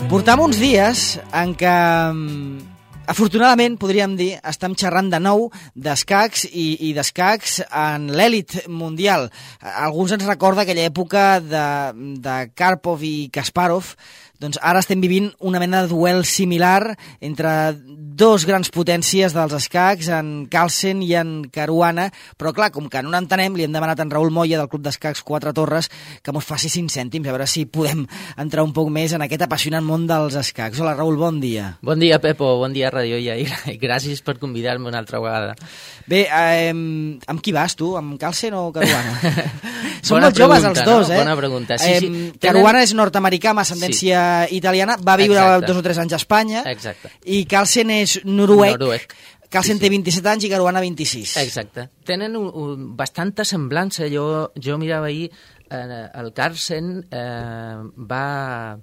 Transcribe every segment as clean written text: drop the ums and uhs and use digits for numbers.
Portam uns dies en què, afortunadament, podríem dir, estem xerrant de nou d'escacs i d'escacs en l'èlit mundial. Alguns ens recorda aquella època de Karpov i Kasparov. Doncs ara estem vivint una mena de duel similar entre dos grans potències dels escacs, en Carlsen i en Caruana, però clar, com que no n'entenem, li hem demanat a en Raül Moya del Club d'Escacs Quatre Torres que mos faci 5 cèntims, a veure si podem entrar un poc més en aquest apassionant món dels escacs. Hola, Raül, bon dia. Bon dia, Pepo, bon dia, Radio IA, i gràcies per convidar-me una altra vegada. Bé, amb qui vas, tu? Amb Carlsen o Caruana? Són molt joves els dos, no? Bona pregunta. Sí, Caruana és nord-americà amb ascendència italiana, va viure 2 o 3 anys a Espanya. Exacte. I Carlsen és noruec. Carlsen té 27 anys i Caruana 26. Exacte. Tenen bastanta semblança. Jo mirava ahir, el Carlsen va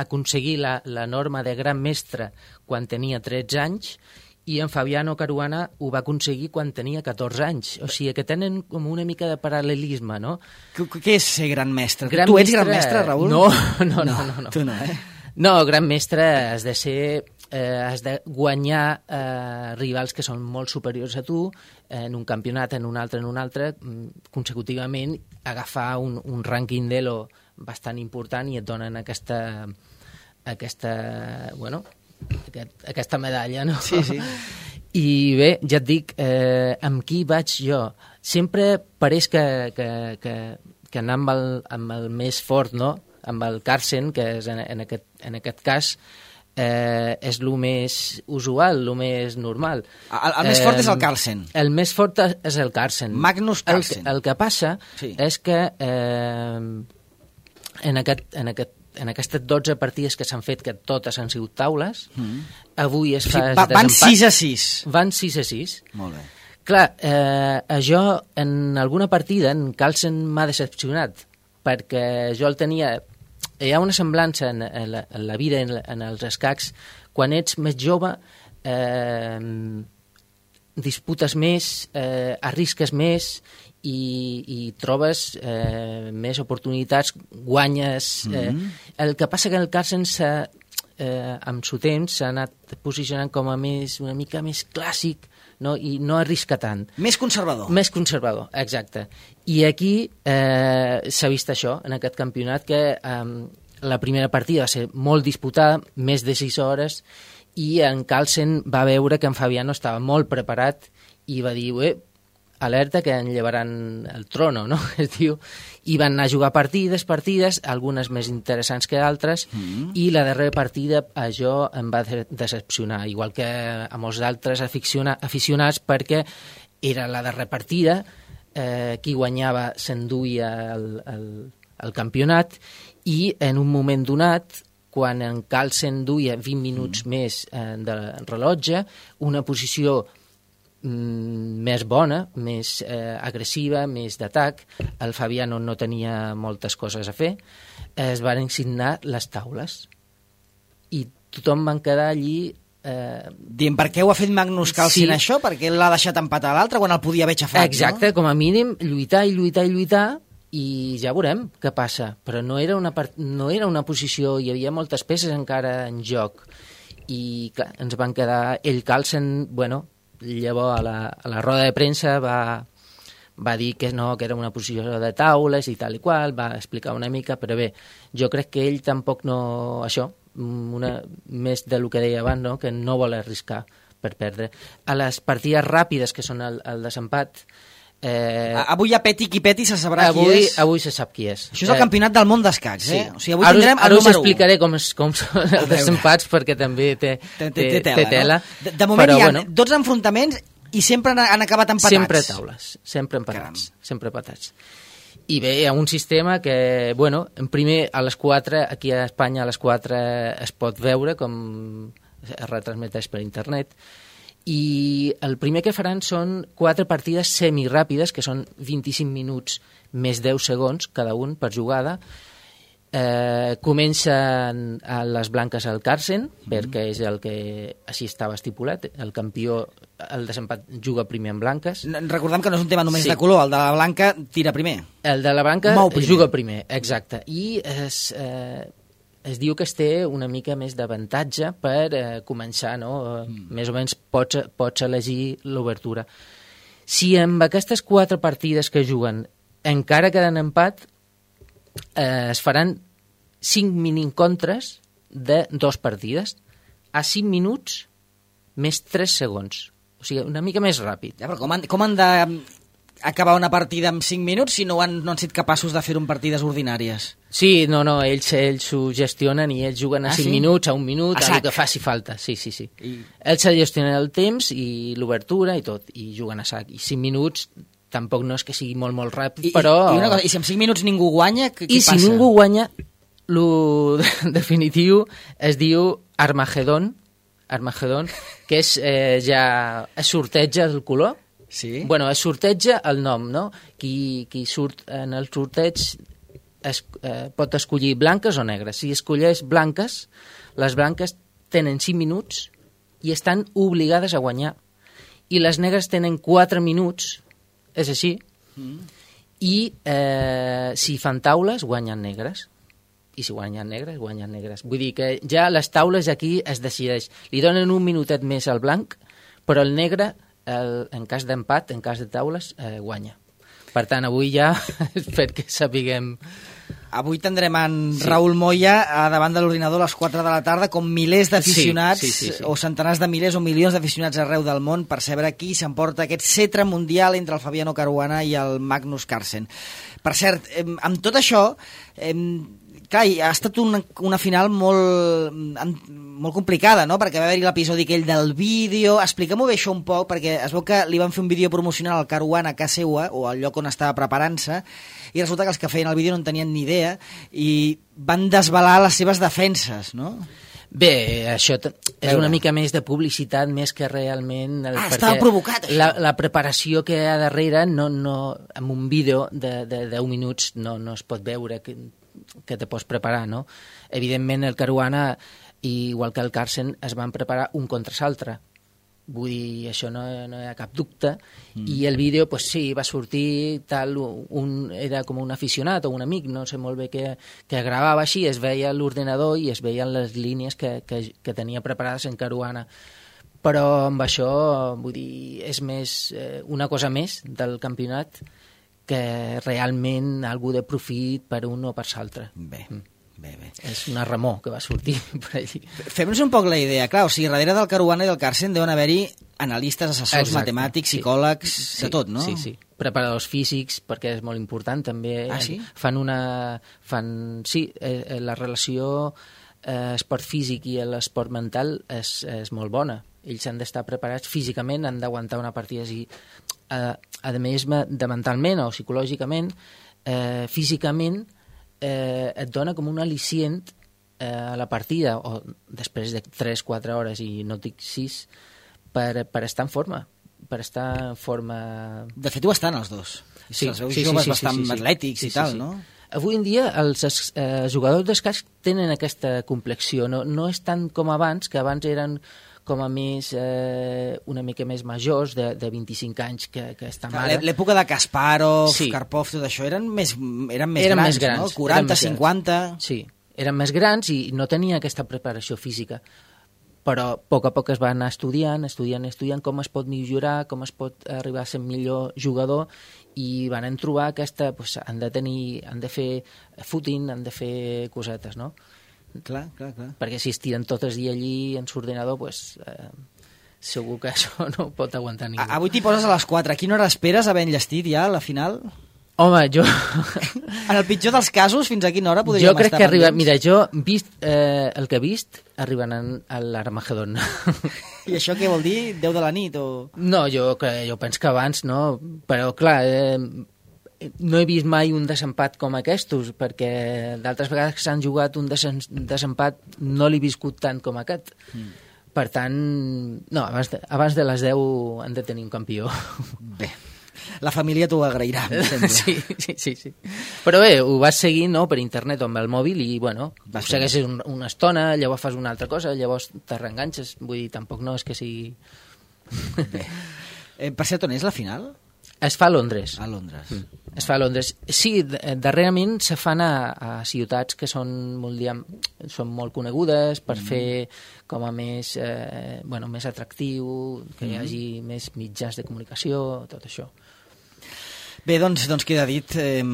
aconseguir la norma de gran mestre quan tenia 13 anys, i en Fabiano Caruana ho va aconseguir quan tenia 14 anys. O sigui que tenen com una mica de paral·lelisme, no? Què és ser gran mestre? Tu ets gran mestre, Raül? No. Tu no, eh? No, gran mestre has de ser... has de guanyar rivals que són molt superiors a tu en un campionat, en un altre, consecutivament agafar un rànquing d'Elo bastant important i et donen aquesta medalla, no? Sí. I bé, ja et dic, amb qui vaig jo? Sempre pareix que anar amb el més fort, no? Amb el Carlsen, que és en aquest cas és el més usual, el més normal. El més fort és el Carlsen. El més fort és el Carlsen. Magnus Carlsen. El que passa és que en aquestes 12 partides que s'han fet, que totes han sigut taules, avui es fa... Van 6-6. Van 6-6. Molt bé. Clar, jo en alguna partida en Carlsen m'ha decepcionat, perquè jo el tenia... Hi ha una semblança en la vida, en els escacs. Quan ets més jove, disputes més, arrisques més i trobes més oportunitats, guanyes... El que passa que el Carlsen amb el temps s'ha anat posicionant com a una mica més clàssic, no? I no arrisca tant. Més conservador. Més conservador, exacte. I aquí s'ha vist això, en aquest campionat, que la primera partida va ser molt disputada, més de 6 hores, i en Carlsen va veure que en Fabiano estava molt preparat i va dir, alerta que en llevaran el trono, no? Es diu. I van anar a jugar partides, algunes més interessants que altres, i la darrera partida a jo em va decepcionar, igual que a molts d'altres aficionats, perquè era la darrera partida, qui guanyava s'enduia el campionat, i en un moment donat, quan en Carlsen duia 20 minuts més del rellotge, una posició més bona, més agressiva, més d'atac, el Fabiano no tenia moltes coses a fer, es van signar les taules i tothom van quedar allí dient, per què ho ha fet Magnus Carlsen això? Perquè l'ha deixat empatar a l'altre quan el podia haver xafat, exacte, no? Com a mínim lluitar i ja veurem què passa, però no era una posició, hi havia moltes peces encara en joc i clar, ens van quedar, Carlsen, llavors a la roda de premsa va dir que no, que era una posició de taules i tal i qual, va explicar una mica, però bé, jo crec que ell tampoc no... Això, més del que deia abans, no? Que no vol arriscar per perdre. A les partides ràpides, que són el desempat... avui hi ha peti qui peti, se sabrà qui és. Avui se sap qui és. Això és el campionat del món d'escacs, sí. O sigui, avui tindrem el número 1. Ara us explicaré com són els desempats, perquè també té tela. No? De moment hi ha 12 enfrontaments i sempre han acabat empatats. Sempre taules, sempre empatats. Sempre empatats. I bé, hi ha un sistema que, en primer, a les 4, aquí a Espanya a les 4 es pot veure, com es retransmeteix per internet, i el primer que faran són 4 partides semiràpides, que són 25 minuts més 10 segons cada un per jugada. Comencen a les blanques al Carlsen, perquè és el que així estava estipulat, el campió, el desempat juga primer en blanques. Recordem que no és un tema només de color, el de la blanca tira primer. El de la blanca juga primer, exacte. I es diu que es té una mica més d'avantatge per començar, no? Més o menys pots elegir l'obertura. Si amb aquestes 4 partides que juguen encara queden empat, es faran 5 mini-encontres de 2 partides a 5 minuts més 3 segons. O sigui, una mica més ràpid. Ja, però com han d'acabar una partida en 5 minuts si no han estat capaços de fer-ho en partides ordinàries? Sí, no, ells ho gestionen i ells juguen a 5 minuts, a 1 minut, a el que faci falta. Sí. Ells se gestionen el temps i l'obertura i tot, i juguen a sac. I 5 minuts tampoc no és que sigui molt, molt ràpid, però... I una cosa, i si en 5 minuts ningú guanya, què passa? I si ningú guanya, lo definitiu es diu Armagedon, que és ja es sorteja el color. Sí. Bueno, es sorteja el nom, no? Qui surt en el sorteig pot escollir blanques o negres. Si escolleix blanques, les blanques tenen 5 minuts i estan obligades a guanyar. I les negres tenen 4 minuts, és així, i si fan taules, guanyen negres. I si guanyen negres, guanyen negres. Vull dir que ja les taules aquí es decideix. Li donen un minutet més al blanc, però el negre, en cas d'empat, en cas de taules, guanya. Per tant, avui ja perquè sapiguem... Avui tindrem en Raúl Moya davant de l'ordinador a les 4 de la tarda com milers d'aficionats o centenars de milers o milions d'aficionats arreu del món per saber qui s'emporta aquest cetre mundial entre el Fabiano Caruana i el Magnus Carlsen. Per cert, amb tot això... Clar, ha estat una final molt complicada, no? Perquè va haver-hi l'episodi aquell del vídeo. Expliquem-ho bé això un poc, perquè es veu que li van fer un vídeo promocional al Caruana a casa seva, o al lloc on estava preparant-se, i resulta que els que feien el vídeo no en tenien ni idea i van desvelar les seves defenses, no? Bé, això és una mica més de publicitat més que realment... Estava provocat, això. La preparació que hi ha darrere, amb un vídeo de 10 minuts no es pot veure que te pots preparar, no? Evidentment, el Caruana, igual que el Carlsen, es van preparar un contra l'altre. Vull dir, això no hi ha cap dubte. I el vídeo, pues sí, va sortir tal, era com un aficionat o un amic, no sé molt bé que gravava així, es veia l'ordenador i es veien les línies que tenia preparades en Caruana. Però amb això, vull dir, és més una cosa més del campionat que realment algú de profit per un o per l'altre. Bé. És una remor que va sortir per allí. Fem-nos un poc la idea, clar, o sigui, darrere del Caruana i del Carlsen deuen haver-hi analistes, assessors, matemàtics, psicòlegs, de tot, no? Sí. Preparadors físics, perquè és molt important, també. Sí? La relació esport físic i l'esport mental és molt bona. Ells han d'estar preparats físicament, han d'aguantar una partida així. A més, de mentalment o psicològicament, físicament, et dona com un al·licient a la partida, o després de 3-4 hores, i no dic 6, per estar en forma. Per estar en forma... De fet, ho estan els dos. Sí, els veus joves bastant atlètics i tal, no? Avui en dia els jugadors d'escacs tenen aquesta complexió. No és tant com abans, que abans eren com a més, una mica més majors, de 25 anys que estan ara. L'època de Kasparov, Karpov, tot això, eren més grans, no? 40, 50... Sí, eren més grans i no tenien aquesta preparació física. Però a poc es va anar estudiant com es pot millorar, com es pot arribar a ser millor jugador, i van trobar aquesta... han de fer footing, han de fer cosetes, no? Clar. Perquè si es tiren tot el dia allí en l'ordenador, segur que això no pot aguantar ningú. Avui t'hi poses a les 4. A quina hora esperes haver enllestit ja la final? Home, jo... En el pitjor dels casos, fins a quina hora podríem estar? Jo crec que arriba... Mira, jo, el que he vist, arriben a l'Armagedon. I això què vol dir? 10 de la nit o...? No, jo penso que abans, no? Però, clar... no he vist mai un desempat com aquests, perquè d'altres vegades que s'han jugat un desempat no l'he viscut tant com aquest. Per tant, no, abans de les 10 han de tenir un campió. Bé, la família t'ho agrairà, em sembla. Sí. Però bé, ho vas seguir, no?, per internet o amb el mòbil i, bueno, ho segueixes una estona, llavors fas una altra cosa, llavors te reenganxes. Vull dir, tampoc no és que sigui... Bé. Per cert, on és la final? Es fa a Londres. A Londres. Es fa a Londres. Sí, darrerament se fan a ciutats que són molt conegudes per fer com a més, més atractiu, que hi hagi més mitjans de comunicació, tot això. Bé, doncs queda dit.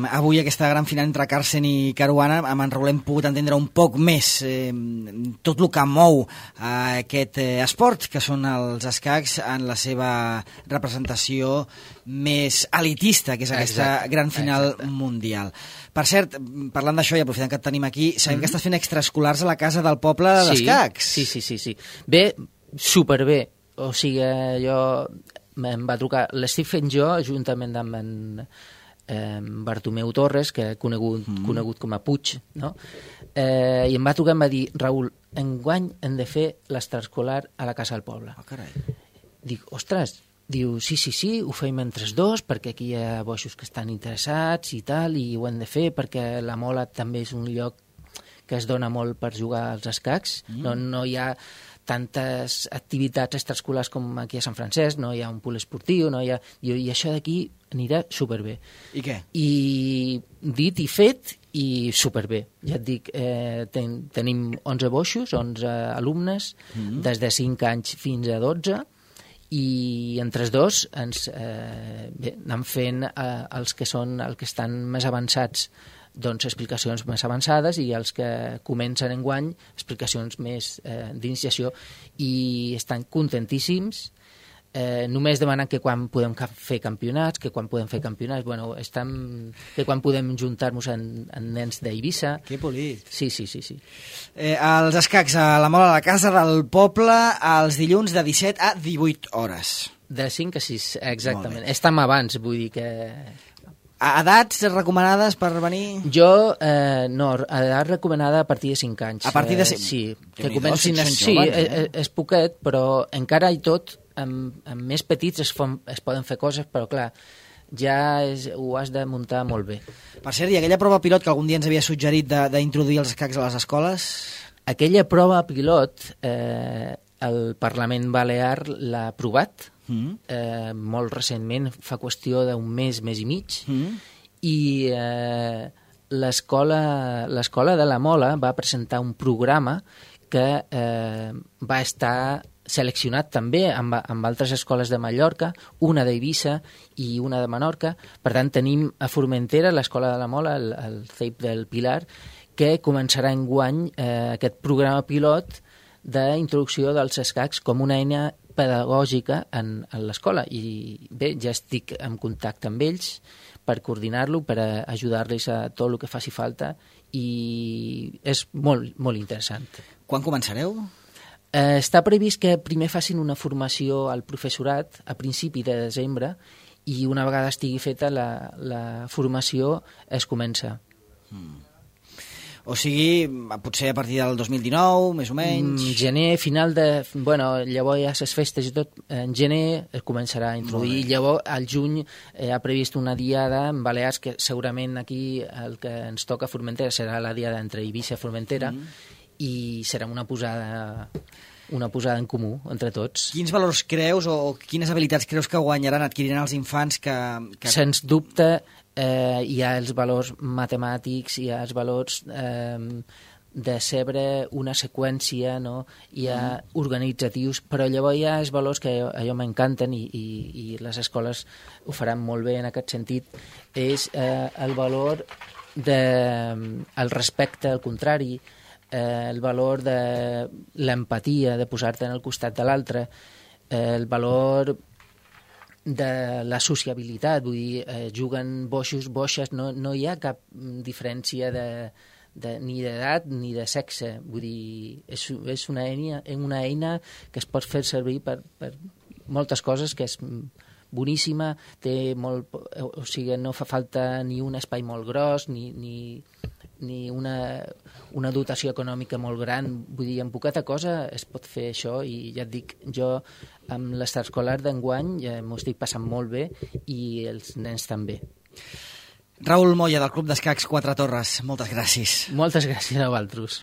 Avui aquesta gran final entre Carlsen i Caruana, amb en Raül hem pogut entendre un poc més tot el que mou aquest esport, que són els escacs en la seva representació més elitista, que és aquesta gran final mundial. Per cert, parlant d'això i aprofitant que et tenim aquí, sabem que estàs fent extraescolars a la casa del poble d'escacs. Sí. Bé, superbé. O sigui, jo... em va trucar, l'estic fent jo juntament amb en Bartomeu Torres, que conegut com a Puig, no? I em va trucar i em va dir, Raül, enguany hem de fer l'extraescolar a la casa del poble. Carai. Dic, ostres, diu, sí, ho fem entre els dos, perquè aquí hi ha boixos que estan interessats i tal, i ho hem de fer perquè la Mola també és un lloc que es dona molt per jugar als escacs. No hi ha tantes activitats extraescolars com aquí a Sant Francesc, no hi ha un pool esportiu, i això d'aquí anirà superbé. I què? I dit i fet, i superbé. Ja et dic, tenim 11 boixos, 11 alumnes, des de 5 anys fins a 12, i entre els dos anem fent els que estan més avançats, doncs explicacions més avançades, i els que comencen enguany explicacions més d'iniciació, i estan contentíssims. Només demanen que quan podem fer campionats, que quan podem juntar-nos en nens d'Eivissa. Que polit. Sí. Els escacs a la Mola de la Casa del Poble els dilluns de 17 a 18 hores. De 5 a 6, exactament. Estem abans, vull dir que... Edats recomanades per venir? Jo, no, edat recomanada a partir de 5 anys. A partir de 5? Sí, que comencin... Sí, és poquet, però encara i tot, amb més petits es poden fer coses, però clar, ja ho has de muntar molt bé. Per cert, i aquella prova pilot que algun dia ens havia suggerit d'introduir els escacs a les escoles? Aquella prova pilot, el Parlament Balear l'ha aprovat, molt recentment, fa qüestió d'un mes i mig, i l'escola de la Mola va presentar un programa que va estar seleccionat també amb altres escoles de Mallorca, una d'Eivissa i una de Menorca. Per tant, tenim a Formentera l'escola de la Mola, el CEIP del Pilar, que començarà enguany aquest programa pilot d'introducció dels escacs com una eina pedagògica en l'escola. I bé, ja estic en contacte amb ells per coordinar-lo, per ajudar-los a tot el que faci falta, i és molt, molt interessant. Quan començareu? Està previst que primer facin una formació al professorat a principi de desembre, i una vegada estigui feta la formació es comença. O sigui, potser a partir del 2019, més o menys... Gener, final de... Bueno, llavors ja les festes i tot, en gener es començarà a introduir. Llavors, al juny ha previst una diada en Balears, que segurament aquí el que ens toca a Formentera serà la diada entre Eivissa i Formentera, i serà una posada en comú entre tots. Quins valors creus o quines habilitats creus que guanyaran, adquiriran els infants que... Sens dubte, hi ha els valors matemàtics, hi ha els valors de saber una seqüència, no? Hi ha organitzatius, però llavors hi ha els valors que a mi m'encanten, i les escoles ho faran molt bé en aquest sentit, és el valor del respecte al contrari, el valor de l'empatia, de posar-te en el costat de l'altre, el valor de la sociabilitat, vull dir, juguen boixos, boixes, no hi ha cap diferència ni d'edat ni de sexe, vull dir, és una eina que es pot fer servir per moltes coses, que és boníssima, té molt, o sigui, no fa falta ni un espai molt gros, ni una dotació econòmica molt gran, vull dir, amb poqueta cosa es pot fer això, i ja et dic, jo amb l'extraescolar d'enguany m'ho estic passant molt bé, i els nens també. Raül Moya, del Club d'Escacs Quatre Torres, moltes gràcies. Moltes gràcies a vosaltres.